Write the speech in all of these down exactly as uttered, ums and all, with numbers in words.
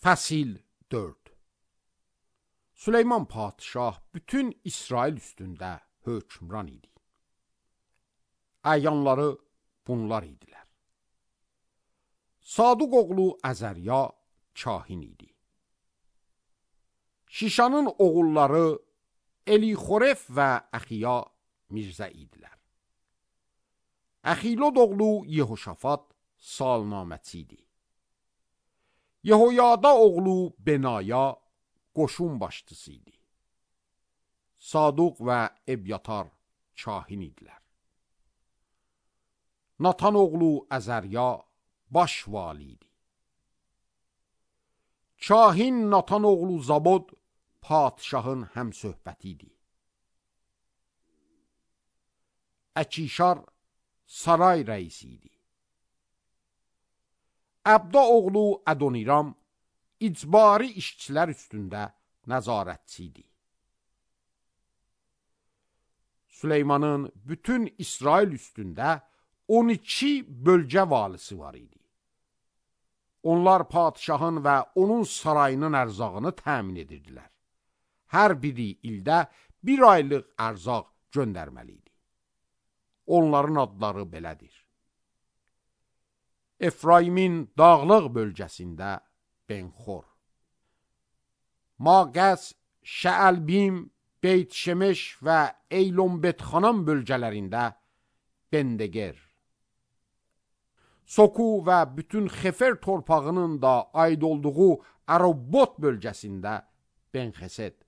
Fəsil dörd. Süleyman padişah bütün İsrail üstündə hökmran idi. Əyanları bunlar idilər. Saduq oğlu Əzərya kahin idi. Şişanın oğulları Elixoref və Əxiya Mirzə idilər. Əxilod oğlu Yehoşafat salnaməçi idi. Yehoyada oğlu Benaya qoşun başçısı idi. Saduq və Ebyatar kahin idilər. Natan oğlu Əzərya baş vali idi. Kahin Natan oğlu Zabod padişahın həmsöhbəti idi. Əkişar saray rəisi idi. Əbda oğlu Ədoniram icbari işçilər üstündə nəzarətçi idi. Süleymanın bütün İsrail üstündə on iki bölgə valisi var idi. Onlar padişahın və onun sarayının ərzağını təmin edirdilər. Hər biri ildə bir aylıq ərzaq göndərməli idi. Onların adları belədir. Efraimin dağlıq bölgəsində Benxor, Maqəs, Şəəlbim, Beyt-Şemeş və Eylon-Betxanam bölgələrində Bendeger, Soku və bütün Xefer torpağının da aid olduğu Ərobot bölgəsində Benxesed,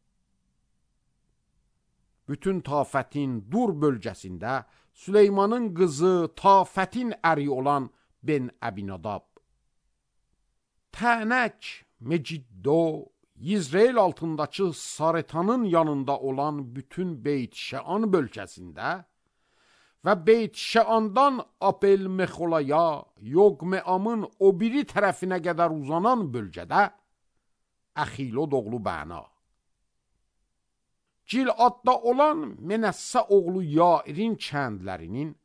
bütün Tafətin Dur bölgəsində Süleymanın qızı Tafətin əri olan Ben Əbinadab, Tənək, Meciddo, Yizreel altındakı Saretanın yanında olan bütün Beyt-Şəan bölgəsində və Beyt-Şəandan Apel-Mexolaya, Yoqmeamın o biri tərəfinə qədər uzanan bölgədə Əxilod oğlu Bəna, Giladda olan Menəssə oğlu Yairin kəndlərinin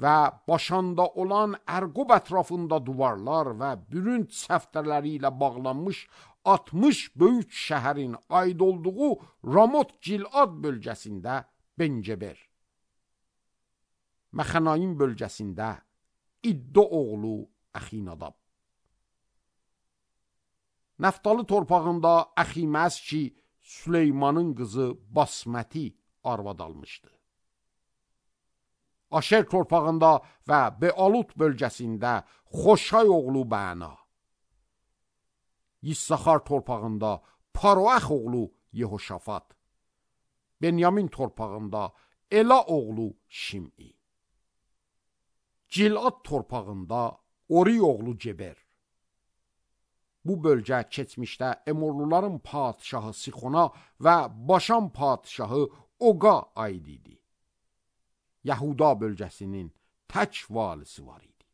və Başanda olan Ərqob ətrafında duvarlar və bürünc səftərləri ilə bağlanmış altmış böyük şəhərin aid olduğu Ramot Gilad bölgəsində Benceber, Məxənaim bölgəsində İddo oğlu Əxinadab, Nəftalı torpağında Əximəz ki, Süleymanın qızı Basməti arvad almışdı. Aşer torpağında və Bealut bölgəsində Xoşay oğlu Bəna, Yissaxar torpağında Paroax oğlu Yehoşafat, Benyamin torpağında Ela oğlu Şim'i, Gilad torpağında Ori oğlu Ceber. Bu bölgə keçmişdə Emorluların padişahı Sixona və Başan padişahı Oqa aid idi. Yahuda bölgəsinin tək valisi var idi.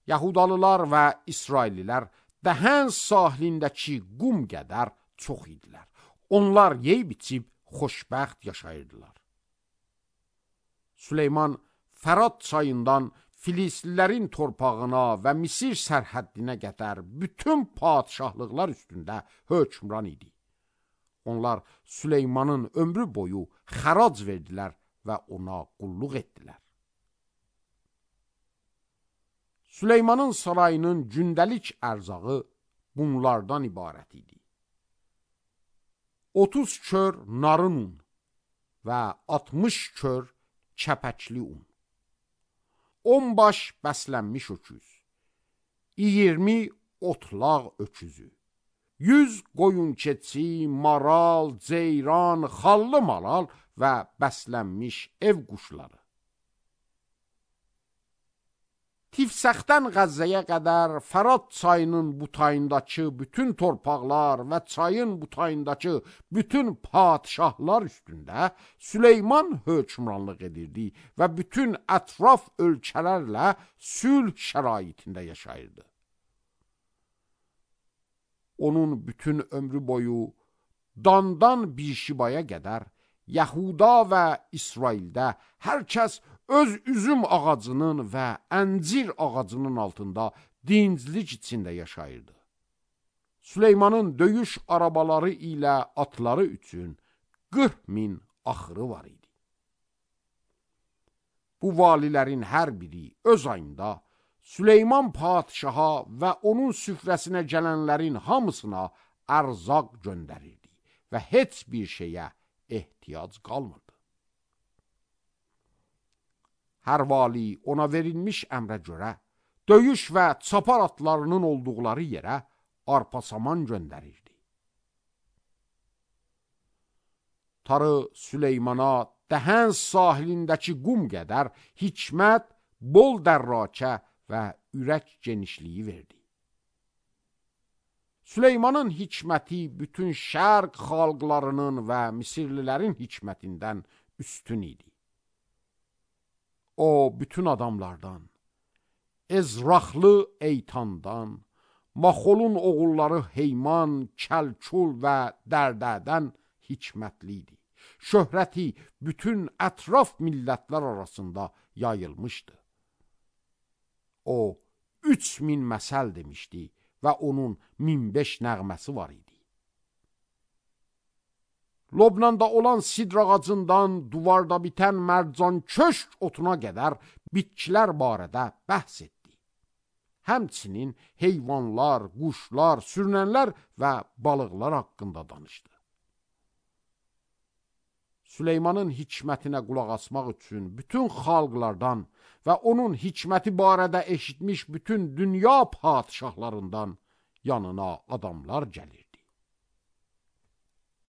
Yahudalılar və İsraillilər Dəhən sahilindəki qum qədər çox idilər. Onlar yeyib içib xoşbəxt yaşayırdılar. Süleyman Fərat çayından Filislilərin torpağına və Misir sərhəddinə qədər bütün padişahlıqlar üstündə hökmran idi. Onlar Süleymanın ömrü boyu xərac verdilər və ona qulluq etdilər. Süleymanın sarayının gündəlik ərzağı bunlardan ibarət idi. otuz kör narın un və altmış kör kəpəkli un, on baş bəslənmiş öküz, iyirmi otlaq öküzü, yüz qoyun keçi, maral, ceyran, xallı malal və bəslənmiş ev quşları. Tifsəxdən Qəzzəyə qədər Fərat çayının butayındakı bütün torpaqlar və çayın butayındakı bütün padişahlar üstündə Süleyman hökmranlıq edirdi və bütün ətraf ölkələrlə sülh şəraitində yaşayırdı. Onun bütün ömrü boyu Dandan Bişibaya qədər Yahuda və İsraildə hər kəs öz üzüm ağacının və əncir ağacının altında dinclik içində yaşayırdı. Süleymanın döyüş arabaları ilə atları üçün qırx min axırı var idi. Bu valilərin hər biri öz ayında Süleyman padişaha və onun süfrəsinə gələnlərin hamısına ərzaq göndərirdi və heç bir şeyə ehtiyac qalmırdı. Hər vali ona verilmiş əmrə görə döyüş və çapar atlarının olduqları yerə arpa saman göndərirdi. Tarı Süleymana Dəhəns sahilindəki qum qədər hikmət, bol dərrakə və ürək genişliyi verdi. Süleymanın hikməti bütün şərq xalqlarının və Misirlilərin hikmətindən üstün idi. O, bütün adamlardan, Ezraxlı Eytandan, Maxolun oğulları Heyman, Kəlkul və Dərdədən hikmətli idi. Şöhrəti bütün ətraf millətlər arasında yayılmışdı. O, üç min məsəl demişdi və onun min beş nəğməsi var idi. Lobnanda olan sidr ağacından duvarda bitən mərcan köşk otuna qədər bitkilər barədə bəhs etdi. Həmçinin heyvanlar, quşlar, sürünənlər və balıqlar haqqında danışdı. Süleymanın hikmətinə qulaq asmaq üçün bütün xalqlardan və onun hikməti barədə eşitmiş bütün dünya padişahlarından yanına adamlar gəlir.